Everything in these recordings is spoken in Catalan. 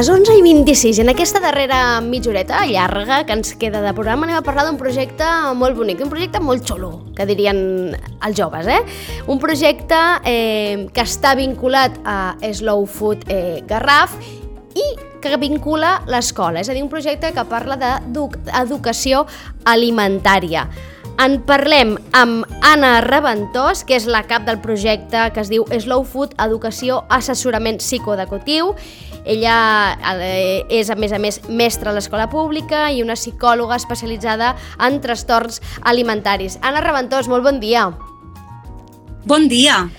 les 11:26, en aquesta darrera mitja horeta llarga que ens queda de programa, anem a parlar d'un projecte molt bonic, un projecte molt xulo, que dirien els joves, Un projecte que està vinculat a Slow Food Garraf i que vincula l'escola, és a dir, un projecte que parla d'educació alimentària. En parlem amb Anna Raventós, que és la cap del projecte que es diu Slow Food Educació Assessorament Psicoeducatiu. Ella és, a més, mestra a l'escola pública i una psicòloga especialitzada en trastorns alimentaris. Anna Raventós, molt bon dia. Bon dia.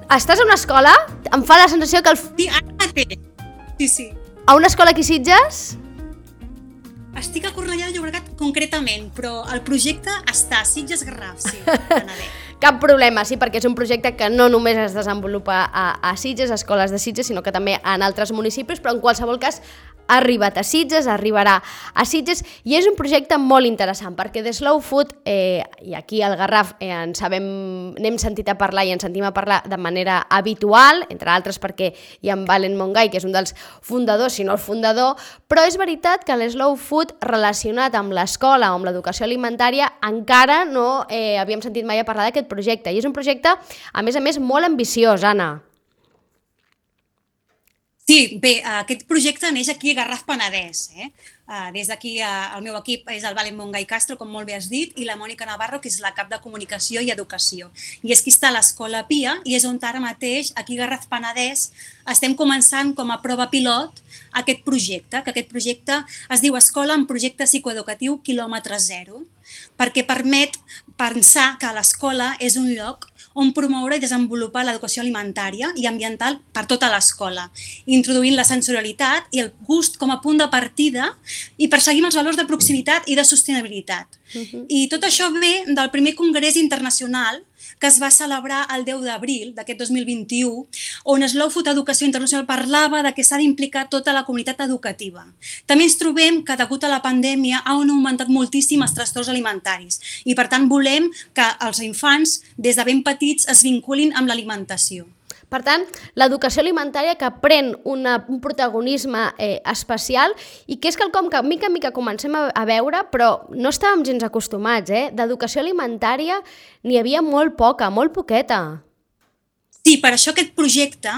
Estàs a una escola? Em fa la sensació que... Sí, ara mateix. Sí. A una escola aquí a Sitges? Estic a Cornellà de Llobregat concretament, però el projecte està a Sitges Garraf, sí, Penedès. Cap problema, sí, perquè és un projecte que no només es desenvolupa a Sitges, a escoles de Sitges, sinó que també en altres municipis, però en qualsevol cas ha arribat a Sitges, arribarà a Sitges, i és un projecte molt interessant, perquè de Slow Food, i aquí al Garraf n'hem sentit a parlar i en sentim a parlar de manera habitual, entre altres perquè hi ha en Valen Mongai, que és un dels fundadors, si no el fundador, però és veritat que l'Slow Food relacionat amb l'escola o amb l'educació alimentària encara no havíem sentit mai a parlar d'aquest projecte, i és un projecte, a més, molt ambiciós, Anna. Sí, bé, aquest projecte neix aquí a Garraf Penedès. Des d'aquí el meu equip és el Valen Mongai Castro, com molt bé has dit, i la Mònica Navarro, que és la cap de Comunicació i Educació. I és qui està a l'Escola Pia i és on ara mateix, aquí a Garraf Penedès, estem començant com a prova pilot aquest projecte, que aquest projecte es diu Escola en Projecte Psicoeducatiu quilòmetre zero, perquè permet pensar que l'escola és un lloc on promoure i desenvolupar l'educació alimentària i ambiental per tota l'escola, introduint la sensorialitat i el gust com a punt de partida i perseguint els valors de proximitat i de sostenibilitat. I tot això ve del primer congrés internacional que es va celebrar el 10 d'abril d'aquest 2021, on Slow Food Educació Internacional parlava de que s'ha d'implicar tota la comunitat educativa. També ens trobem que, degut a la pandèmia, han augmentat moltíssim els trastorns alimentaris i, per tant, volem que els infants, des de ben petits, es vinculin amb l'alimentació. Per tant, l'educació alimentària que pren un protagonisme especial i que és quelcom que mica en mica comencem a veure, però no estàvem gens acostumats. D'educació alimentària n'hi havia molt poca, molt poqueta. Sí, per això aquest projecte,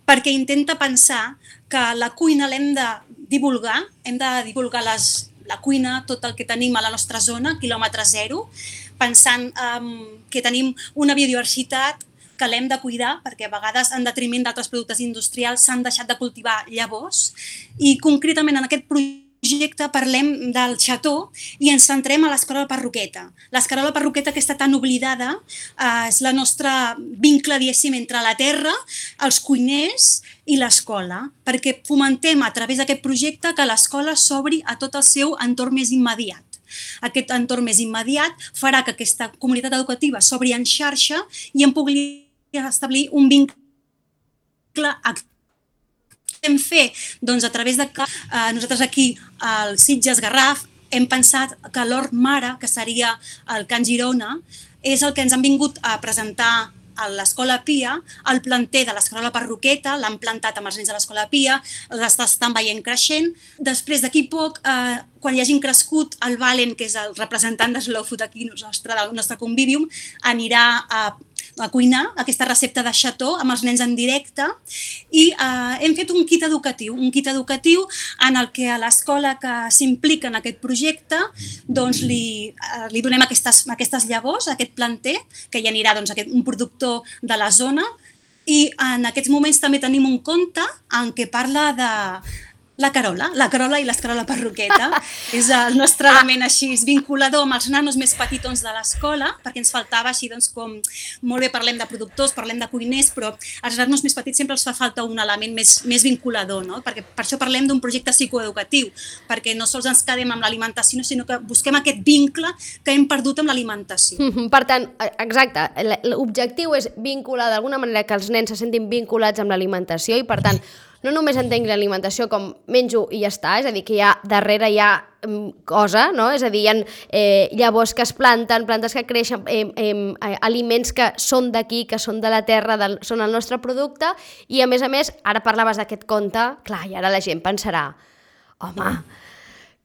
perquè intenta pensar que la cuina l'hem de divulgar, la cuina, tot el que tenim a la nostra zona, quilòmetre zero, pensant que tenim una biodiversitat que l'hem de cuidar, perquè a vegades, en detriment d'altres productes industrials, s'han deixat de cultivar llavors. I concretament en aquest projecte parlem del xató i ens centrem a l'escarola parroqueta. L'escarola parroqueta, que està tan oblidada, és la nostra vincle, diguéssim, entre la terra, els cuiners i l'escola, perquè fomentem a través d'aquest projecte que l'escola s'obri a tot el seu entorn més immediat. Aquest entorn més immediat farà que aquesta comunitat educativa s'obri en xarxa i en pugui establir un vincle actiu. Hem fet, doncs, a través de que nosaltres aquí al Sitges Garraf hem pensat que l'Hort Mare, que seria el Can Girona, és el que ens han vingut a presentar a l'Escola Pia, el planter de l'escarola parroqueta, l'han plantat amb els nens de l'Escola Pia, l'estan veient creixent. Després, d'aquí poc, quan hi hagin crescut, el Valen, que és el representant de Slow Food aquí del nostre convivium, anirà a cuinar aquesta recepta de xató amb els nens en directe i hem fet un kit educatiu en el que a l'escola que s'implica en aquest projecte doncs li donem aquestes llavors, aquest planter, que hi anirà doncs, un productor de la zona, i en aquests moments també tenim un conte en què parla de la Carola i l'escarola parroqueta. És el nostre element així vinculador amb els nanos més petitons de l'escola, perquè ens faltava així, doncs, com molt bé parlem de productors, parlem de cuiners, però als nanos més petits sempre els fa falta un element més vinculador, no? Perquè per això parlem d'un projecte psicoeducatiu, perquè no sols ens quedem amb l'alimentació, sinó que busquem aquest vincle que hem perdut amb l'alimentació. Per tant, exacte, l'objectiu és vincular d'alguna manera que els nens se sentin vinculats amb l'alimentació i, per tant, no només entengui l'alimentació com menjo i ja està, és a dir, que darrere hi ha cosa, no? És a dir, hi ha llavors que es planten, plantes que creixen, aliments que són d'aquí, que són de la terra, són el nostre producte, i a més, ara parlaves d'aquest conte, clar, i ara la gent pensarà, home,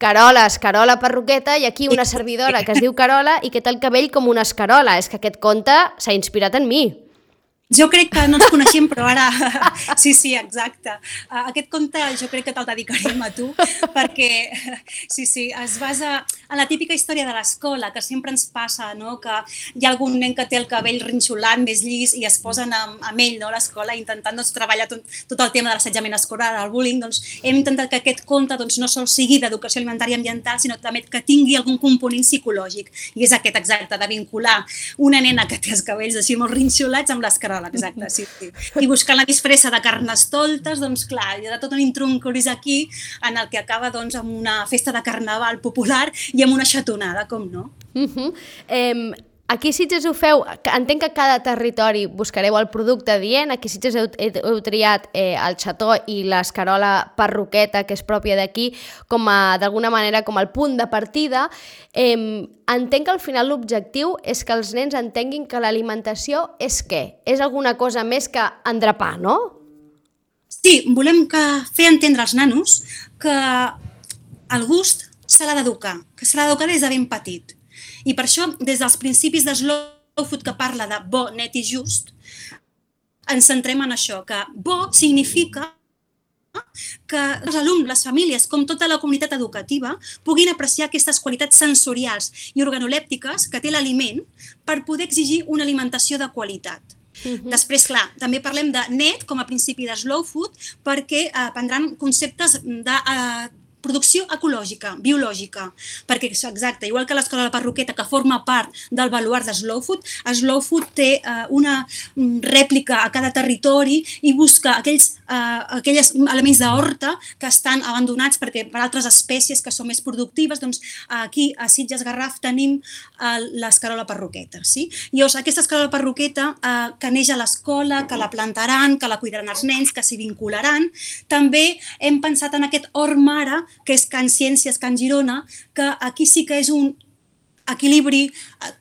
Carola perruqueta, i aquí una servidora que es diu Carola i que té el cabell com una escarola. És que aquest conte s'ha inspirat en mi. Jo crec que no ens coneixem, però ara... Sí, exacte. Aquest conte jo crec que te'l dedicarem a tu, perquè es basa en la típica història de l'escola, que sempre ens passa, no? Que hi ha algun nen que té el cabell rinxolant, més llis, i es posen amb ell, no? A l'escola, intentant treballar tot el tema de l'assetjament escolar, el bullying. Hem intentat que aquest conte no sol sigui d'educació alimentària i ambiental, sinó també que tingui algun component psicològic. I és aquest exacte, de vincular una nena que té els cabells així molt rinxolats amb l'escarola. Exacte, sí. I buscant la disfressa de carnestoltes, doncs clar, hi ha tot un intruncuris aquí en el que acaba amb una festa de carnaval popular i amb una xatonada, com no? Aquí a Sitges ho feu, entenc que cada territori buscareu el producte adient, aquí a Sitges heu triat el xató i l'escarola perruqueta, que és pròpia d'aquí, d'alguna manera com el punt de partida. Entenc que al final l'objectiu és que els nens entenguin que l'alimentació és què? És alguna cosa més que endrapar, no? Sí, volem fer entendre als nanos que el gust se l'ha d'educar, que se l'ha d'educar des de ben petit. I per això, des dels principis de Slow Food, que parla de bo, net i just, ens centrem en això, que bo significa que els alumnes, les famílies, com tota la comunitat educativa, puguin apreciar aquestes qualitats sensorials i organolèptiques que té l'aliment per poder exigir una alimentació de qualitat. Després, clar, també parlem de net com a principi de Slow Food perquè aprendran conceptes de producció ecològica, biològica, perquè, exacte, igual que l'escola de la perruqueta, que forma part del baluart de Slow Food té una rèplica a cada territori i busca aquells elements d'horta que estan abandonats per altres espècies que són més productives. Doncs aquí, a Sitges Garraf, tenim l'escarola perruqueta. I aquesta escarola perruqueta que neix a l'escola, que la plantaran, que la cuidaran els nens, que s'hi vincularan. També hem pensat en aquest hort mare, que és Can Ciències, Can Girona, que aquí sí que és un equilibri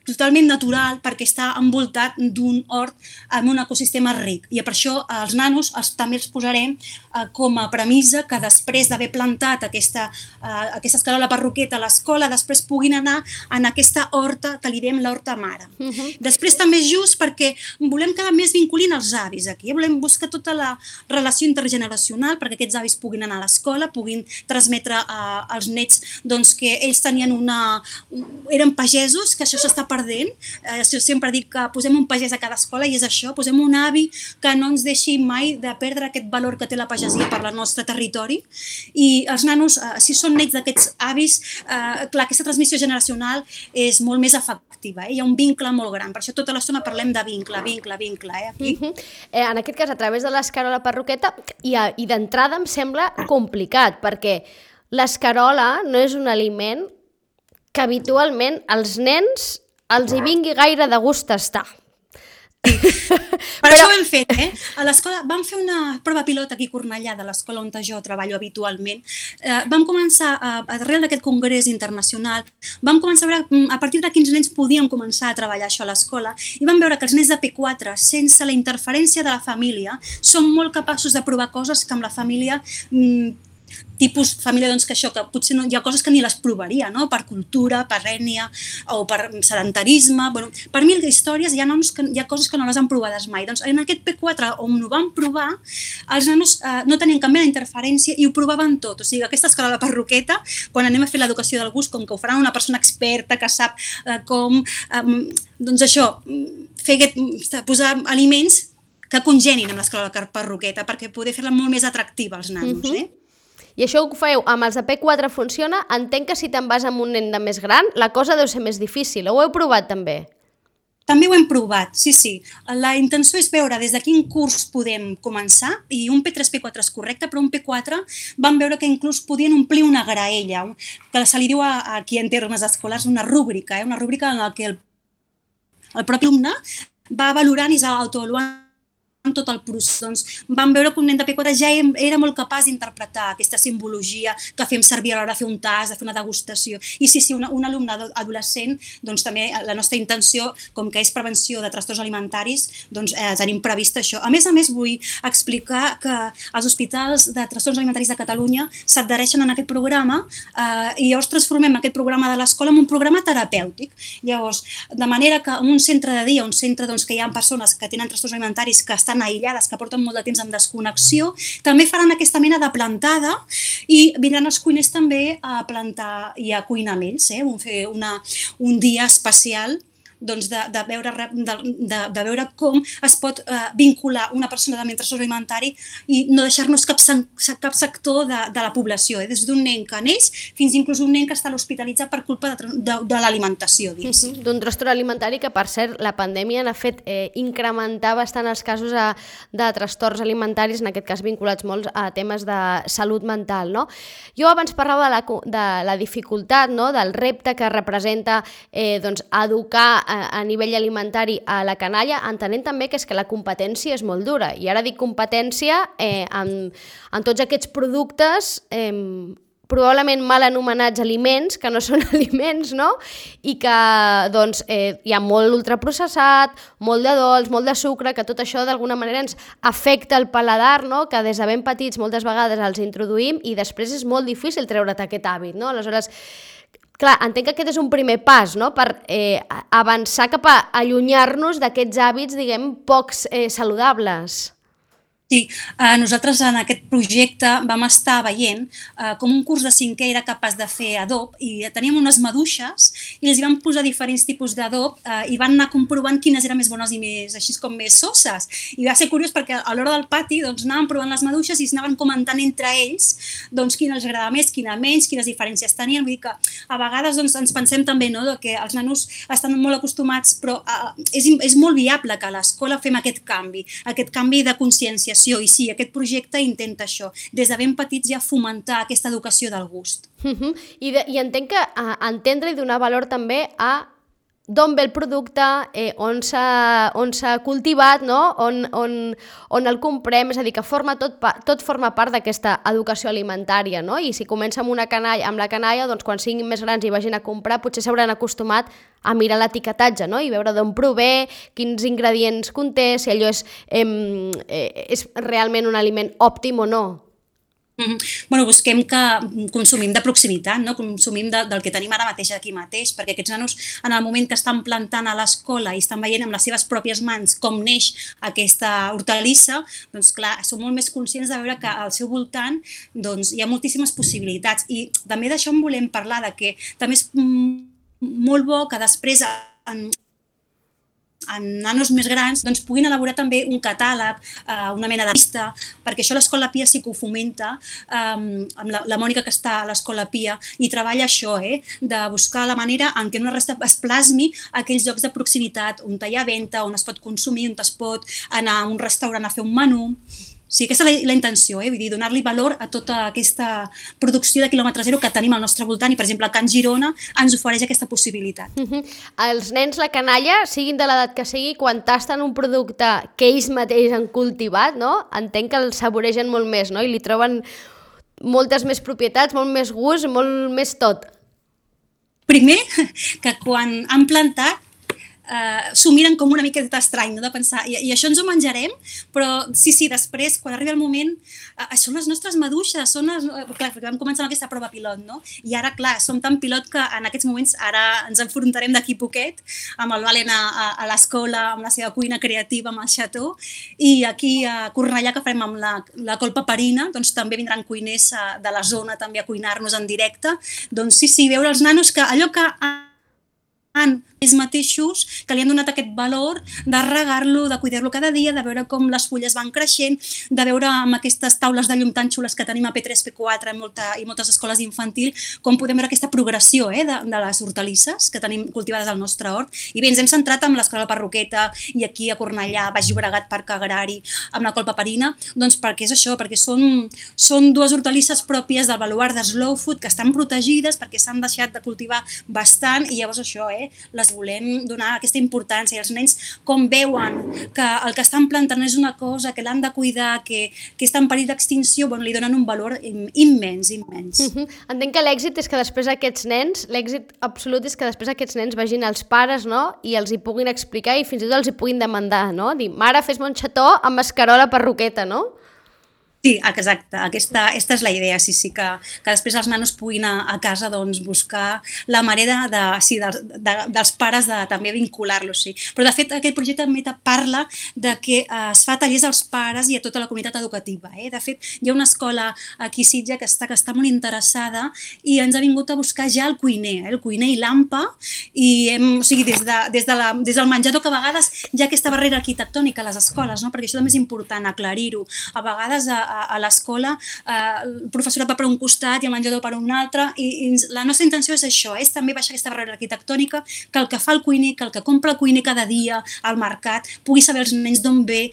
totalment natural perquè està envoltat d'un hort amb un ecosistema ric. I per això els nanos també els posarem com a premissa que després d'haver plantat aquesta escarola perruqueta a l'escola, després puguin anar en aquesta horta que li diem l'horta mare. Després també és just perquè volem que més vinculin els avis aquí. Volem buscar tota la relació intergeneracional perquè aquests avis puguin anar a l'escola, puguin transmetre als nets que ells tenien eren pagesos, que això s'està perdent. Jo sempre dic que posem un pagès a cada escola i és això, posem un avi que no ens deixi mai de perdre aquest valor que té la pagesia per al nostre territori. I els nanos, si són nets d'aquests avis, clar, aquesta transmissió generacional és molt més efectiva. Hi ha un vincle molt gran, per això tota l'estona parlem de vincle. Aquí. En aquest cas, a través de l'escarola perruqueta, i d'entrada em sembla complicat, perquè l'escarola no és un aliment que habitualment als nens els hi vingui gaire de gust estar. Per això ho hem fet, A l'escola vam fer una prova pilot aquí a Cornellà, de l'escola on jo treballo habitualment. Vam començar, arrel d'aquest congrés internacional, vam començar a veure a partir de quins nens podíem començar a treballar això a l'escola i vam veure que els nens de P4, sense la interferència de la família, són molt capaços de provar coses que amb la família tipus família, que això, que potser no, hi ha coses que ni les provaria, no? Per cultura, per ètnia o per sedentarisme. Per mi, històries, hi ha coses que no les han provades mai. Doncs en aquest P4, on ho vam provar, els nanos no tenien cap mena d'interferència i ho provaven tot. O sigui, aquesta escola de perruqueta, quan anem a fer l'educació del gust, com que ho faran una persona experta que sap com, doncs això, posar aliments que congenin amb l'escola de perruqueta perquè poder fer-la molt més atractiva als nanos, I això ho feu amb els de P4 funciona? Entenc que si te'n vas amb un nen de més gran, la cosa deu ser més difícil. Ho heu provat també? També ho hem provat, sí. La intenció és veure des de quin curs podem començar, i un P3, P4 és correcte, però un P4 vam veure que inclús podien omplir una graella, que se li diu aquí en termes escolars una rúbrica, una rúbrica en la que el propi alumne va valorant i s'autoavaluant tot el procés, doncs, vam veure que un nen de P4 ja era molt capaç d'interpretar aquesta simbologia que fem servir a l'hora de fer un tast, de fer una degustació. I sí, un alumne adolescent, doncs també la nostra intenció, com que és prevenció de trastorns alimentaris, doncs tenim previst això. A més, vull explicar que els hospitals de trastorns alimentaris de Catalunya s'adhereixen a aquest programa i llavors transformem aquest programa de l'escola en un programa terapèutic. Llavors, de manera que en un centre de dia, un centre doncs, que hi ha persones que tenen trastorns alimentaris que estan aïllades, que porten molt de temps en desconnexió, també faran aquesta mena de plantada i vindran els cuiners també a plantar i a cuinar amb ells, fer un dia especial doncs, de veure com es pot vincular una persona amb trastorn alimentari i no deixar-nos cap sector de la població, des d'un nen que neix fins inclús un nen que està hospitalitzat per culpa de l'alimentació. D'un trastorn alimentari que, per cert, la pandèmia n'ha fet incrementar bastant els casos de trastorns alimentaris, en aquest cas vinculats molt a temes de salut mental. No? Jo abans parlava de la dificultat, no? Del repte que representa educar a nivell alimentari a la canalla, entenent també que és que la competència és molt dura. I ara dic competència en tots aquests productes probablement mal anomenats aliments, que no són aliments, no? I que doncs, hi ha molt ultraprocessat, molt de dolç, molt de sucre, que tot això d'alguna manera ens afecta el paladar, no? Que des de ben petits moltes vegades els introduïm i després és molt difícil treure't aquest hàbit, no? Aleshores, clar, entenc que aquest és un primer pas, no? Per avançar cap a allunyar-nos d'aquests hàbits, diguem, pocs saludables. Sí, nosaltres en aquest projecte vam estar veient com un curs de 5è era capaç de fer adob i teníem unes maduixes i els van posar diferents tipus d'adob i van anar comprovant quines eren més bones i més, així com més sosses. I va ser curiós perquè a l'hora del pati doncs, anaven provant les maduixes i anaven comentant entre ells doncs, quina els agrada més, quina menys, quines diferències tenien. Vull dir que a vegades doncs, ens pensem també que els nanos estan molt acostumats, però és molt viable que a l'escola fem aquest canvi de consciència. I sí, aquest projecte intenta això, des de ben petits ja fomentar aquesta educació del gust. I entenc que entendre i donar valor també a d'on ve el producte, on s'ha cultivat, no? on el comprem, és a dir, que tot forma part d'aquesta educació alimentària, no? I si comença amb la canalla, doncs quan siguin més grans i vagin a comprar, potser s'hauran acostumat a mirar l'etiquetatge, no? I veure d'on prové, quins ingredients conté, si allò és realment un aliment òptim o no. Bueno, busquem que consumim de proximitat, no? Consumim del que tenim ara mateix aquí mateix, perquè aquests nanos en el moment que estan plantant a l'escola i estan veient amb les seves pròpies mans com neix aquesta hortalissa, doncs clar, són molt més conscients de veure que al seu voltant doncs, hi ha moltíssimes possibilitats. I també d'això en volem parlar, de que també és molt bo que després en nanos més grans doncs, puguin elaborar també un catàleg, una mena de llista, perquè això l'Escola Pia sí que ho fomenta, amb la Mònica que està a l'Escola Pia, i treballa això, de buscar la manera en què una resta es plasmi aquells llocs de proximitat on hi ha venda, on es pot consumir, on es pot anar a un restaurant a fer un menú. Sí, aquesta és la intenció, vull dir, donar-li valor a tota aquesta producció de quilòmetre zero que tenim al nostre voltant i, per exemple, Can Girona ens ofereix aquesta possibilitat. Els nens, la canalla, siguin de l'edat que sigui, quan tasten un producte que ells mateixos han cultivat, no? Entenc que el saboregen molt més, no? I li troben moltes més propietats, molt més gust, molt més tot. Primer, que quan han plantat s'ho miren com una miqueta estrany, no? De pensar, i això ens ho menjarem, però sí, després, quan arriba el moment, són les nostres maduixes, clar, perquè vam començar amb aquesta prova pilot, no? I ara, clar, som tan pilot que en aquests moments ara ens enfrontarem d'aquí poquet amb el Valen a l'escola, amb la seva cuina creativa, amb el xató, i aquí a Cornellà, que farem amb la col paperina, doncs també vindran cuiners de la zona també a cuinar-nos en directe. Doncs sí, veure els nanos que allò que han ells mateixos, que li han donat aquest valor de regar-lo, de cuidar-lo cada dia, de veure com les fulles van creixent, de veure amb aquestes taules de llum tan xules que tenim a P3, P4 i moltes escoles infantil, com podem veure aquesta progressió de les hortalisses que tenim cultivades al nostre hort. I bé, ens hem centrat amb l'Escola Parroqueta i aquí a Cornellà, Baix Llobregat, Parc Agrari, amb la col paperina, doncs perquè és això, perquè són dues hortalisses pròpies del baluard de Slow Food que estan protegides perquè s'han deixat de cultivar bastant i llavors això, les volem donar aquesta importància, i els nens com veuen que el que estan plantant és una cosa que l'han de cuidar, que està en perill d'extinció, bueno, li donen un valor immens. Entenc que l'èxit és que després aquests nens, l'èxit absolut és que després aquests nens vagin als pares, no?, i els hi puguin explicar i fins i tot els hi puguin demandar, no? Dir, mare, fes-me un xató amb escarola perruqueta, no? Sí, exacte. Aquesta és la idea, sí, que després els nanos puguin a casa doncs, buscar la manera dels pares de també vincular-los. Sí. Però, de fet, aquest projecte també parla de que es fa tallers als pares i a tota la comunitat educativa. De fet, hi ha una escola aquí a Sitges que està molt interessada i ens ha vingut a buscar ja el cuiner i l'AMPA, i o sigui, des del menjador, que a vegades hi ha aquesta barrera arquitectònica a les escoles, no? Perquè això també és important aclarir-ho. A vegades a l'escola el professorat va per un costat i el menjador per un altre, i la nostra intenció és això, és també baixar aquesta barrera arquitectònica, que el que fa el cuiner, que el que compra el cuiner cada dia al mercat pugui saber els nens d'on ve,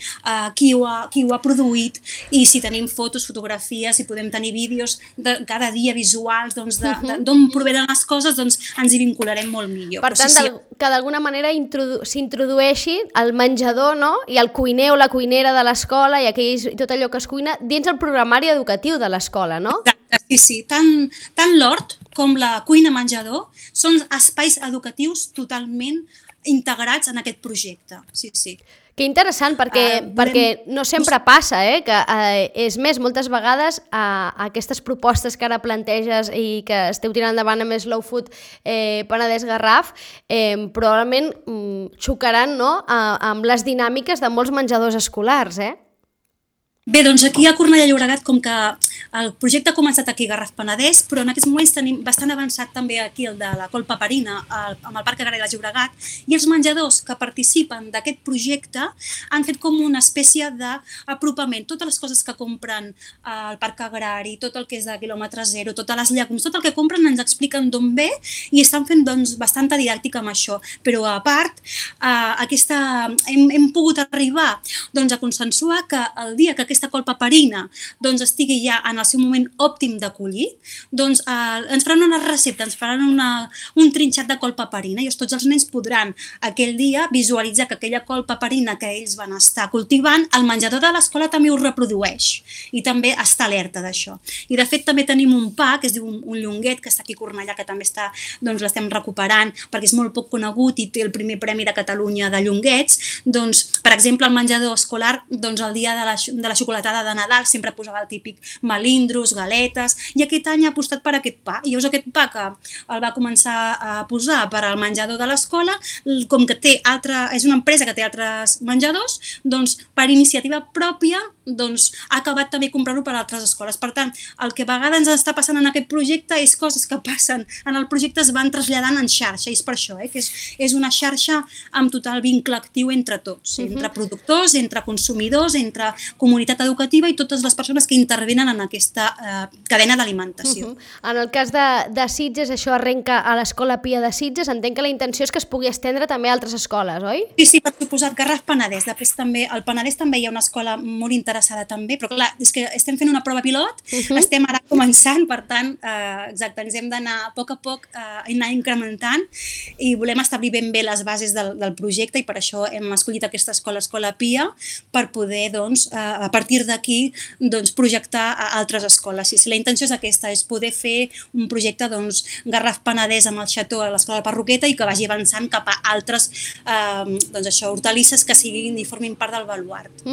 qui ho ha produït, i si tenim fotos, fotografies, si podem tenir vídeos de cada dia visuals d'on provenen les coses, doncs ens hi vincularem molt millor. Per tant, que d'alguna manera s'introdueixi el menjador, no?, i el cuiner o la cuinera de l'escola i tot allò que es cuina dins el programari educatiu de l'escola, no? Exacte, sí. Tant l'hort com la cuina-menjador són espais educatius totalment integrats en aquest projecte. Sí. Que interessant, perquè no sempre passa, que és més, moltes vegades aquestes propostes que ara planteges i que esteu tirant endavant amb Slow Food Penedès Garraf probablement xocaran, no?, amb les dinàmiques de molts menjadors escolars, Bé, doncs aquí a Cornellà de Llobregat, com que el projecte ha començat aquí a Garraf Penedès, però en aquests moments tenim bastant avançat també aquí el de la Col Paperina amb el Parc Agrari de Llobregat, i els menjadors que participen d'aquest projecte han fet com una espècie d'apropament. Totes les coses que compren al Parc Agrari, tot el que és de quilòmetre zero, totes les llegums, tot el que compren ens expliquen d'on ve i estan fent doncs, bastanta didàctica amb això. Però a part, hem pogut arribar doncs, a consensuar que el dia que aquesta col paperina doncs, estigui ja en el seu moment òptim de collir, doncs ens faran una recepta, ens faran un trinxat de col paperina, i tots els nens podran aquell dia visualitzar que aquella col paperina que ells van estar cultivant, el menjador de l'escola també ho reprodueix i també està alerta d'això. I de fet també tenim un pa que es diu un llonguet, que està aquí a Cornellà, que també l'estem recuperant perquè és molt poc conegut i té el primer premi de Catalunya de llonguets. Doncs, per exemple, el menjador escolar, doncs, el dia de la xocolatada de Nadal sempre posava el típic melindros, galetes, i aquest any ha apostat per aquest pa. I llavors aquest pa que el va començar a posar per al menjador de l'escola, com que és una empresa que té altres menjadors, doncs per iniciativa pròpia ha acabat també comprant-ho per a altres escoles. Per tant, el que a vegades ens està passant en aquest projecte és coses que passen en el projecte es van traslladant en xarxa, i és per això que és una xarxa amb total vincle actiu entre tots, entre productors, entre consumidors, entre comunitat educativa i totes les persones que intervenen en aquesta cadena d'alimentació. En el cas de Sitges, això arrenca a l'Escola Pia de Sitges. Entenc que la intenció és que es pugui estendre també a altres escoles, oi? Sí, per suposat, Garraf Penedès. Després també, al Penedès també hi ha una escola molt interessada també, però clar, és que estem fent una prova pilot, estem ara començant, per tant, exacte, ens hem d'anar a poc anar incrementant i volem establir ben bé les bases del projecte, i per això hem escollit aquesta Escola Pia, per poder, doncs, a partir d'aquí, doncs, projectar a altres escoles. Sí, la intenció és aquesta, és poder fer un projecte, doncs, Garraf Penedès amb el xató a l'Escola de Perruqueta i que vagi avançant cap a altres, doncs això, hortalisses que siguin i formin part del baluart.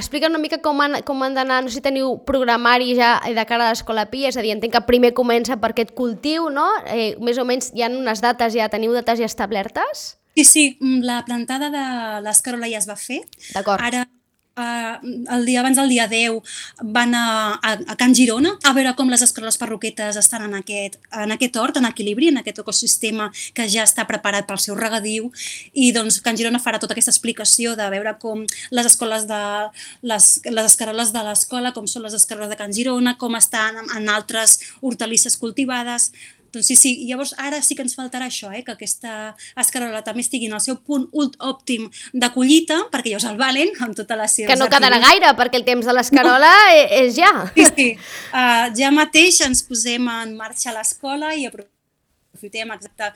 Explica una mica com han d'anar, no sé si teniu programari ja de cara a l'Escola Pia, és a dir, entenc que primer comença per aquest cultiu, no? Més o menys hi ha unes dates, teniu dates ja establertes? Sí, la plantada de l'escarola ja es va fer. D'acord. Ara, abans del dia 10 van a Can Girona a veure com les escaroles perruquetes estan en aquest hort, en equilibri, en aquest ecosistema que ja està preparat pel seu regadiu, i doncs Can Girona farà tota aquesta explicació de veure com les escoles les escaroles de l'escola, com són les escaroles de Can Girona, com estan en altres hortalisses cultivades. Doncs sí, llavors ara sí que ens faltarà això, que aquesta escarola també estigui en el seu punt òptim de collita, perquè ja us el valen amb totes les seves... Que no quedarà gaire, perquè el temps de l'escarola és ja. Sí. Ja mateix ens posem en marxa a l'escola i aprofitem exacte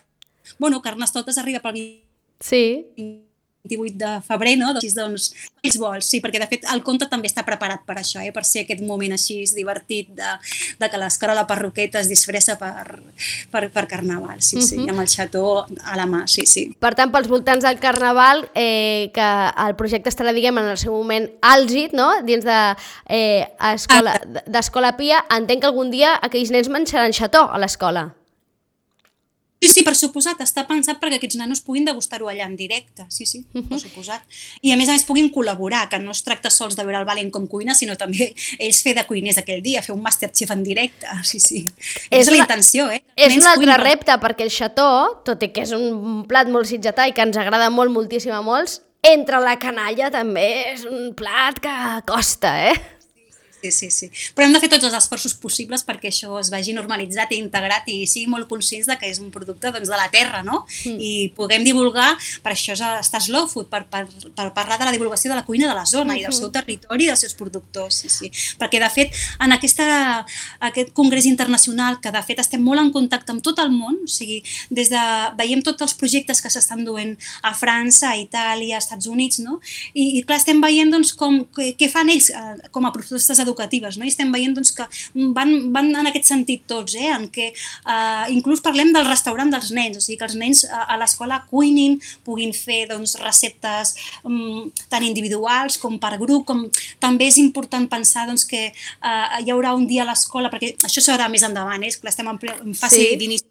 Bueno, Carnestoltes arriba pel Sí. 28 de febrer, no? Doncs, els vols, sí, perquè de fet el conte també està preparat per això, per ser aquest moment així divertit de que l'escola Parroqueta es disfressa per Carnaval, sí, amb el xató a la mà, sí. Per tant, pels voltants del Carnaval, que el projecte estarà, diguem, en el seu moment àlgid, no?, dins d'Escola Pia, entenc que algun dia aquells nens menjaran xató a l'escola. Sí, per suposat, està pensat perquè aquests nanos puguin degustar-ho allà en directe, sí, per suposat. I a més puguin col·laborar, que no es tracta sols de veure el Valent com cuina, sinó també ells fer de cuiners aquell dia, fer un Masterchef en directe, sí. És la intenció, És un altre repte, perquè el xató, tot i que és un plat molt sitgetà i que ens agrada moltíssim a molts, entre la canalla també és un plat que costa, Sí. Però hem de fer tots els esforços possibles perquè això es vagi normalitzat i integrat i sigui molt conscients que és un producte de la terra, no? I puguem divulgar, per això està Slow Food, per parlar de la divulgació de la cuina de la zona i del seu territori i dels seus productors, sí. Perquè, de fet, en aquest congrés internacional, que de fet estem molt en contacte amb tot el món, o sigui, veiem tots els projectes que s'estan duent a França, a Itàlia, als Estats Units, no? I clar, estem veient què fan ells com a propostes educatives, no? I estem veient que van en aquest sentit tots, en què inclús parlem del restaurant dels nens, o sigui que els nens a l'escola cuinin, puguin fer receptes tant individuals com per grup, com també és important pensar que hi haurà un dia a l'escola, perquè això serà més endavant, estem en fase d'inici,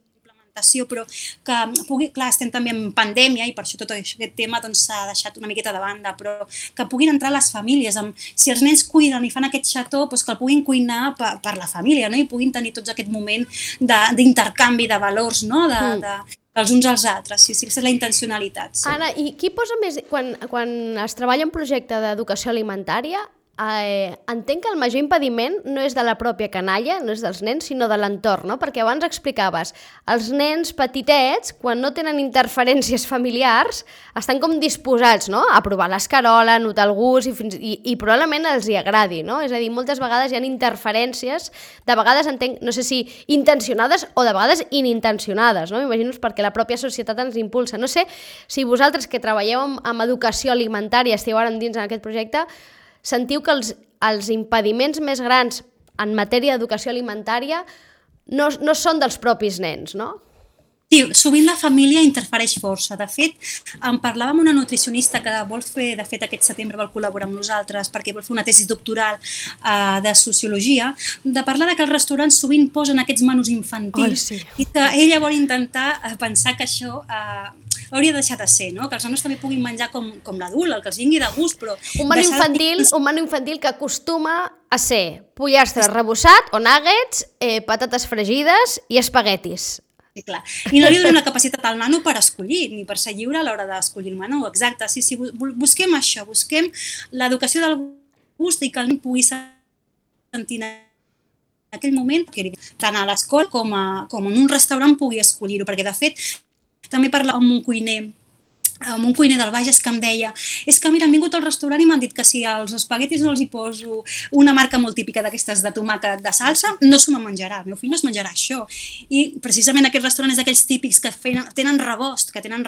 però que pugui, clar, estem també en pandèmia i per això tot aquest tema s'ha deixat una miqueta de banda, però que puguin entrar les famílies, si els nens cuiden i fan aquest xató, que el puguin cuinar per la família, i puguin tenir tots aquest moment d'intercanvi de valors, dels uns als altres, sí, aquesta és la intencionalitat. Anna, i qui posa més, quan es treballa un projecte d'educació alimentària, entenc que el major impediment no és de la pròpia canalla, no és dels nens, sinó de l'entorn, no? Perquè abans explicaves, els nens petitets, quan no tenen interferències familiars, estan com disposats, no?, a provar l'escarola, a notar el gust i probablement els hi agradi, no? És a dir, moltes vegades hi ha interferències, de vegades entenc, no sé si intencionades o de vegades inintencionades, no? M'imagino perquè la pròpia societat ens impulsa. No sé si vosaltres que treballeu amb educació alimentària, esteu ara dins en aquest projecte, sentiu que els impediments més grans en matèria d'educació alimentària no són dels propis nens, no? Sí, sovint la família interfereix força. De fet, en parlava amb una nutricionista que vol fer, de fet aquest setembre vol col·laborar amb nosaltres perquè vol fer una tesi doctoral de sociologia, de parlar que els restaurants sovint posen aquests menús infantils i que ella vol intentar pensar que això hauria de deixar de ser, no? Que els nanos també puguin menjar com l'adult, el que els vingui de gust, però... Un menú infantil que acostuma a ser pollastre rebossat o nuggets, patates fregides i espaguetis. Sí, clar. I no li donem la capacitat al nano per escollir, ni per ser lliure a l'hora d'escollir el menú. Exacte, sí, busquem això, busquem l'educació del gust i que el nen pugui sentir en aquell moment, tant a l'escola com en un restaurant pugui escollir-ho, perquè de fet també parlàvem amb un cuiner del Bages que em deia és que mira, han vingut al restaurant i m'han dit que si als espaguetis no els hi poso una marca molt típica d'aquestes de tomàquet de salsa, no s'ho menjarà, el meu fill no es menjarà això. I precisament aquest restaurant és d'aquells típics que tenen rebost, que tenen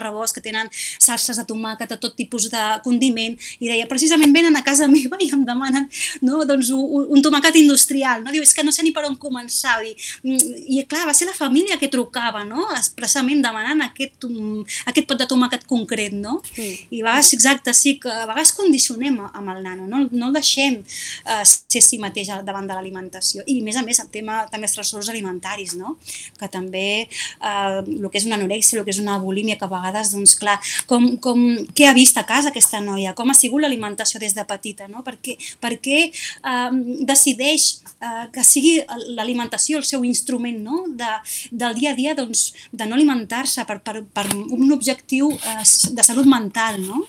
salses de tomàquet, de tot tipus de condiment, i deia, precisament venen a casa meva i em demanen un tomàquet industrial, no? Diu, és que no sé ni per on començar. I clar, va ser la família que trucava, no? Expressament demanant aquest pot de tomàquet concret, no? I a vegades, exacte, sí, que a vegades condicionem amb el nano, no el deixem ser si mateix davant de l'alimentació. I, a més, el tema també els trastorns alimentaris, no? Que també el que és una anorèxia, el que és una bulímia, que a vegades, doncs, clar, què ha vist a casa aquesta noia? Com ha sigut l'alimentació des de petita, no? Per què decideix que sigui l'alimentació el seu instrument, no? Del dia a dia, doncs, de no alimentar-se per un objectiu de salut mental, no?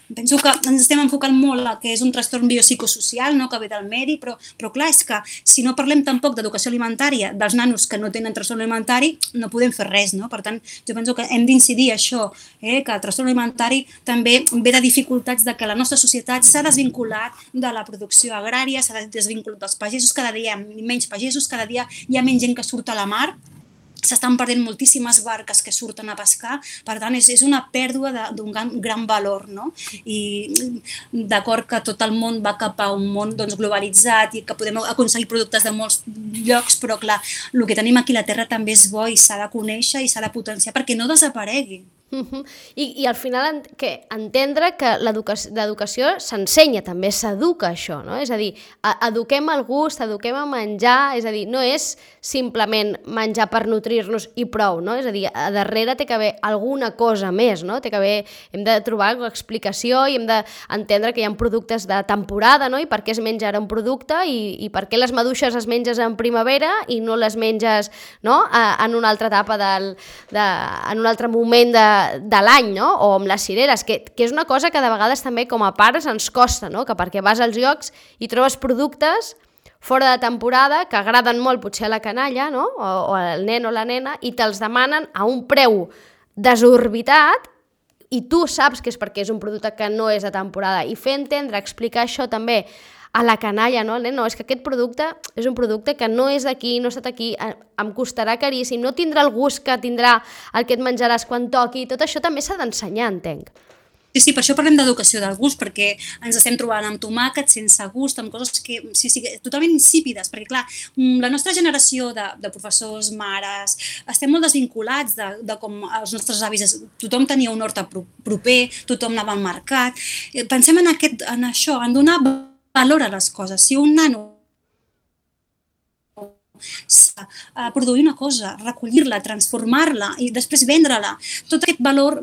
Penso que ens estem enfocant molt a que és un trastorn biopsicosocial, no? Que ve del medi, però clar, és que si no parlem tampoc d'educació alimentària dels nanos que no tenen trastorn alimentari, no podem fer res, no? Per tant, jo penso que hem d'incidir això, que el trastorn alimentari també ve de dificultats de que la nostra societat s'ha desvinculat de la producció agrària, s'ha desvinculat dels pagesos, cada dia hi ha menys pagesos, cada dia hi ha menys gent que surt a la mar, s'estan perdent moltíssimes barques que surten a pescar, per tant és una pèrdua d'un gran valor, no? I d'acord que tot el món va cap a un món globalitzat i que podem aconseguir productes de molts llocs, però clar, el que tenim aquí a la Terra també és bo i s'ha de conèixer i s'ha de potenciar perquè no desaparegui. I al final entendre que l'educació s'ensenya, també s'educa això, no? És a dir, eduquem el gust, eduquem a menjar, és a dir, no és simplement menjar per nutrir-nos i prou, no? És a dir, a darrere té que haver alguna cosa més, no? Hem de trobar explicació i hem d'entendre que hi ha productes de temporada, no? I per què es menja ara un producte i per què les maduixes es menges en primavera i no les menges, no? En una altra etapa en un altre moment de l'any, no? O amb les cireres, que és una cosa que de vegades també com a pares ens costa, no? Que perquè vas als llocs i trobes productes fora de temporada que agraden molt potser a la canalla, no? O al nen o la nena, i te'ls demanen a un preu desorbitat i tu saps que és perquè és un producte que no és de temporada. I fer entendre, explicar això també a la canalla, no? No, és que aquest producte és un producte que no és d'aquí, no ha estat aquí, em costarà caríssim, no tindrà el gust que tindrà el que et menjaràs quan toqui, tot això també s'ha d'ensenyar, entenc. Sí, per això parlem d'educació del gust, perquè ens estem trobant amb tomàquets sense gust, amb coses que totalment insípides, perquè clar, la nostra generació de professors, mares, estem molt desvinculats de com els nostres avis, tothom tenia un hort proper, tothom anava al mercat. Pensem en això, en donar valor a les coses. Si un nano produir una cosa, recollir-la, transformar-la i després vendre-la. Tot aquest valor,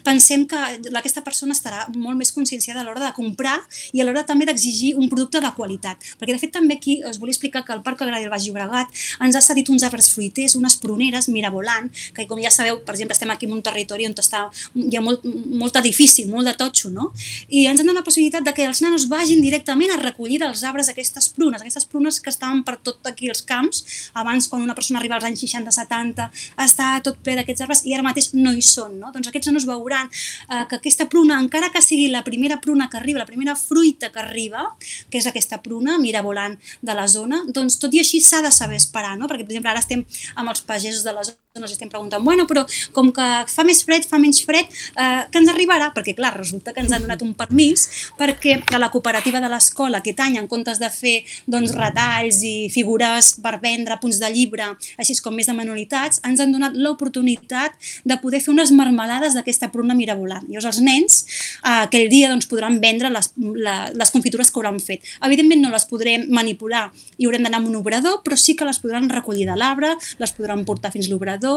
pensem que aquesta persona estarà molt més conscienciada a l'hora de comprar i a l'hora també d'exigir un producte de qualitat. Perquè de fet també aquí us volia explicar que el Parc Agrari del Baix Llobregat ens ha cedit uns arbres fruiters, unes pruneres mirabolant, que com ja sabeu, per exemple, estem aquí en un territori on hi ha molt edifici, molt de totxo, no? I ens han donat la possibilitat de que els nanos vagin directament a recollir dels arbres aquestes prunes que estaven per tot aquí els camps. Abans, quan una persona arriba als anys 60-70, està tot ple d'aquests arbres i ara mateix no hi són, no? Doncs aquests nanos veuran que aquesta pruna, encara que sigui la primera pruna que arriba, la primera fruita que arriba, que és aquesta pruna mirabolant de la zona, doncs tot i així s'ha de saber esperar, no? Perquè, per exemple, ara estem amb els pagesos de la zona, ens estem preguntant, bueno, però com que fa més fred, fa menys fred, que ens arribarà? Perquè, clar, resulta que ens han donat un permís perquè a la cooperativa de l'escola aquest any, en comptes de fer retalls i figures per vendre, punts de llibre, així com més de manualitats, ens han donat l'oportunitat de poder fer unes marmelades d'aquesta pruna mirabolant. Llavors els nens aquell dia podran vendre les confitures que hauran fet. Evidentment no les podrem manipular i haurem d'anar amb un obrador, però sí que les podran recollir de l'arbre, les podran portar fins l'obrador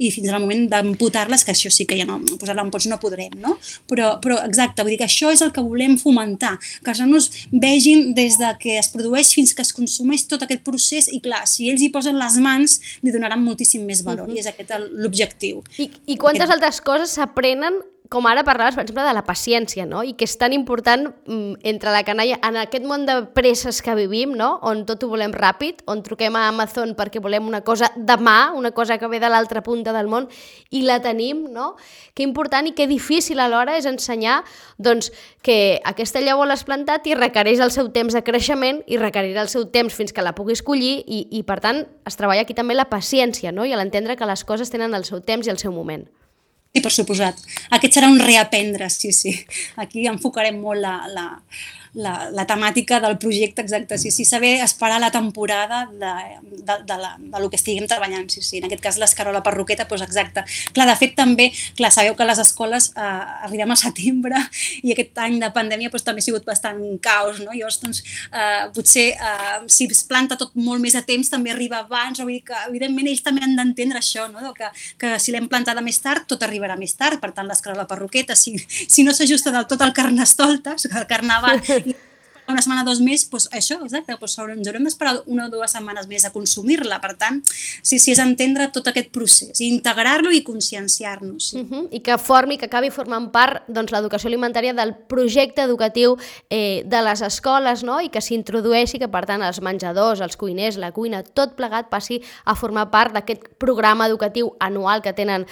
i fins al moment d'amputar-les, que això sí que ja no, posar-la en pots no podrem, no? Però exacte, vull dir que això és el que volem fomentar, que els nanos vegin des de que es produeix fins que es consumeix tot aquest procés i clar, si ells hi posen les mans li donaran moltíssim més valor i és aquest l'objectiu. I quantes altres coses s'aprenen, com ara parlaves, per exemple, de la paciència, no? I que és tan important entre la canalla, en aquest món de presses que vivim, no? On tot ho volem ràpid, on truquem a Amazon perquè volem una cosa demà, una cosa que ve de l'altra punta del món i la tenim, no? Que important i que difícil alhora és ensenyar doncs, que aquesta llavor l'has plantat i requereix el seu temps de creixement i requerirà el seu temps fins que la puguis collir i per tant, es treballa aquí també la paciència, no? I a l'entendre que les coses tenen el seu temps i el seu moment. Sí, per suposat. Aquest serà un reaprendre, sí. Aquí enfocarem molt la temàtica del projecte, exacte, sí. Saber esperar la temporada de lo que estiguem treballant, sí. En aquest cas l'escarola perroqueta, doncs exacte. Clar, de fet també, sabeu que les escoles arribem a setembre i aquest any de pandèmia també ha sigut bastant caos, no? Llavors, doncs, potser si es planta tot molt més a temps també arriba abans, vull dir que evidentment ells també han d'entendre això, no? Que si l'hem plantada més tard, tot arribarà més tard, per tant l'escarola perroqueta, si no s'ajusta del tot al carnestoltes, el carnaval, una setmana, 2 mesos, doncs això, exacte, doncs ens haurem d'esperar 1 o 2 setmanes més a consumir-la. Per tant, sí, és entendre tot aquest procés, integrar-lo i conscienciar-nos. Sí. I que acabi formant part l'educació alimentària del projecte educatiu de les escoles, no? I que s'introdueixi, que per tant els menjadors, els cuiners, la cuina, tot plegat passi a formar part d'aquest programa educatiu anual que tenen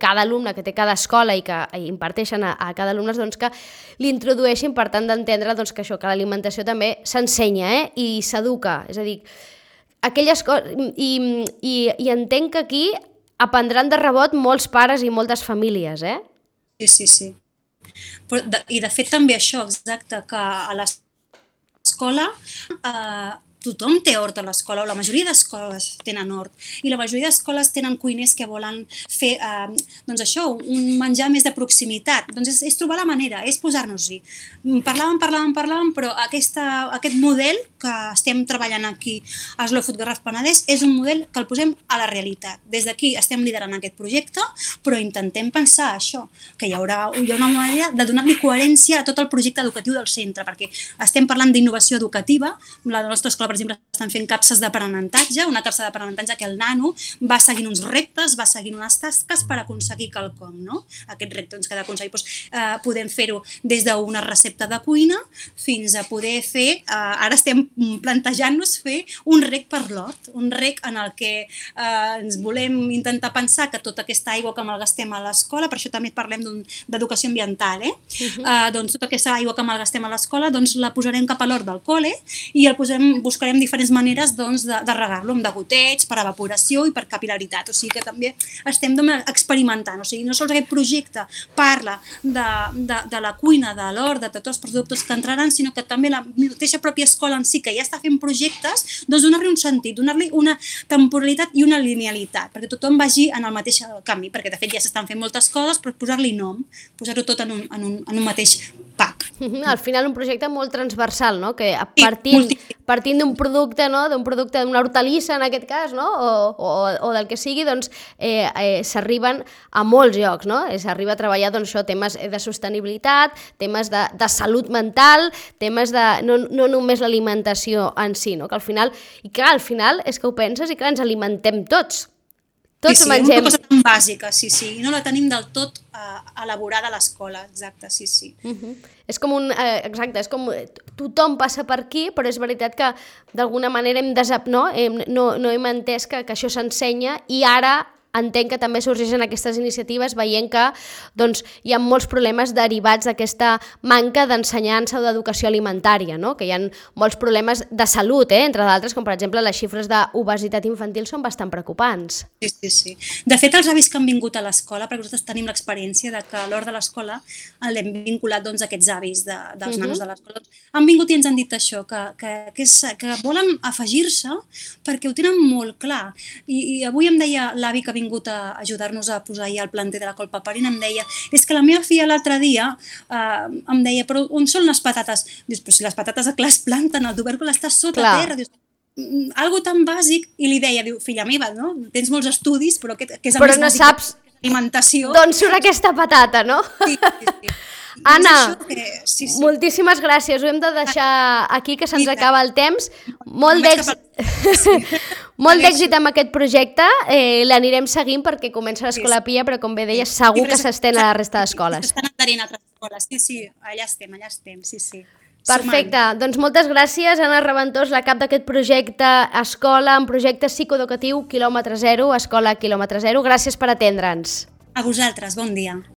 cada alumne, que té cada escola i que imparteixen a cada alumne, doncs que l'introdueixin per tant d'entendre que això, que l'alimentació també s'ensenya i s'educa, és a dir, aquelles coses... I entenc que aquí aprendran de rebot molts pares i moltes famílies, eh? Sí. I de fet també això, exacte, que a l'escola tothom té hort a l'escola, o la majoria d'escoles tenen hort, i la majoria d'escoles tenen cuiners que volen fer, doncs això, un menjar més de proximitat. Doncs és trobar la manera, és posar-nos-hi. Parlàvem, però aquest model que estem treballant aquí a Slow Food Garraf Penedès és un model que el posem a la realitat. Des d'aquí estem liderant aquest projecte, però intentem pensar això, que hi ha una manera de donar-li coherència a tot el projecte educatiu del centre, perquè estem parlant d'innovació educativa. La nostra escola, per exemple, estan fent capses d'aprenentatge, una capsa d'aprenentatge que el nano va seguint uns reptes, va seguint unes tasques per aconseguir quelcom, no? Aquest repte que ha d'aconseguir. Podem fer-ho des d'una recepta de cuina fins a poder fer, ara estem plantejant-nos fer un rec per l'hort, un rec en el que ens volem intentar pensar que tota aquesta aigua que malgastem a l'escola, per això també parlem d'educació ambiental, doncs tota aquesta aigua que malgastem a l'escola doncs la posarem cap a l'hort del col·le i buscarem diferents maneres doncs, de regar-lo, amb degoteig, per evaporació i per capil·laritat. O sigui que també estem experimentant. O sigui, no sols aquest projecte parla de la cuina, de l'hort, de tots els productes que entraran, sinó que també la mateixa pròpia escola en si, que ja està fent projectes, doncs donar-li un sentit, donar-li una temporalitat i una linealitat, perquè tothom vagi en el mateix camí, perquè de fet ja s'estan fent moltes coses, però posar-li nom, posar-ho tot en un mateix pack. Al final un projecte molt transversal, no? Que partint d'un producte, no? D'una hortalissa en aquest cas, no? O del que sigui, doncs s'arriben a molts llocs, no? S'arriba a treballar doncs, això, temes de sostenibilitat, temes de salut mental, temes de no només l'alimentació en si, no? Que al final és que ho penses i clar, ens alimentem tots. Tots mengem. Una cosa tan bàsica, sí, i no la tenim del tot elaborada a l'escola, exacte, sí. És com tothom passa per aquí, però és veritat que d'alguna manera no hem entès que això s'ensenya i ara entenc que també sorgeixen aquestes iniciatives veient que doncs, hi ha molts problemes derivats d'aquesta manca d'ensenyança o d'educació alimentària, no? Que hi ha molts problemes de salut, entre d'altres, com per exemple les xifres d'obesitat infantil són bastant preocupants. Sí. De fet, els avis que han vingut a l'escola, perquè nosaltres tenim l'experiència de que a l'hora de l'escola l'hem vinculat doncs, aquests avis dels nanos de l'escola, han vingut i ens han dit això, que volen afegir-se perquè ho tenen molt clar. I avui em deia l'avi que ha vingut a ajudar-nos a posar ja el planter de la col paperina, em deia, és que la meva filla l'altre dia em deia, però on són les patates? Dius, però si les patates clar es planten, el tubèrcul està sota terra. Dius, algo tan bàsic, i li deia, diu, filla meva, no? Tens molts estudis, però que és el més bàsic d'alimentació. D'on surt aquesta patata, no? Sí. Anna, moltíssimes gràcies. Ho hem de deixar aquí, que se'ns acaba el temps. Molt d'èxit amb aquest projecte. L'anirem seguint perquè comença l'Escola Pia, però com bé deies, segur que s'estén a la resta d'escoles. S'estan adherint a altres escoles. Sí, allà estem, sí. Perfecte, doncs moltes gràcies, Anna Reventós, la cap d'aquest projecte Escola, un projecte psicoeducatiu quilòmetre zero, Escola quilòmetre zero. Gràcies per atendre'ns. A vosaltres, bon dia.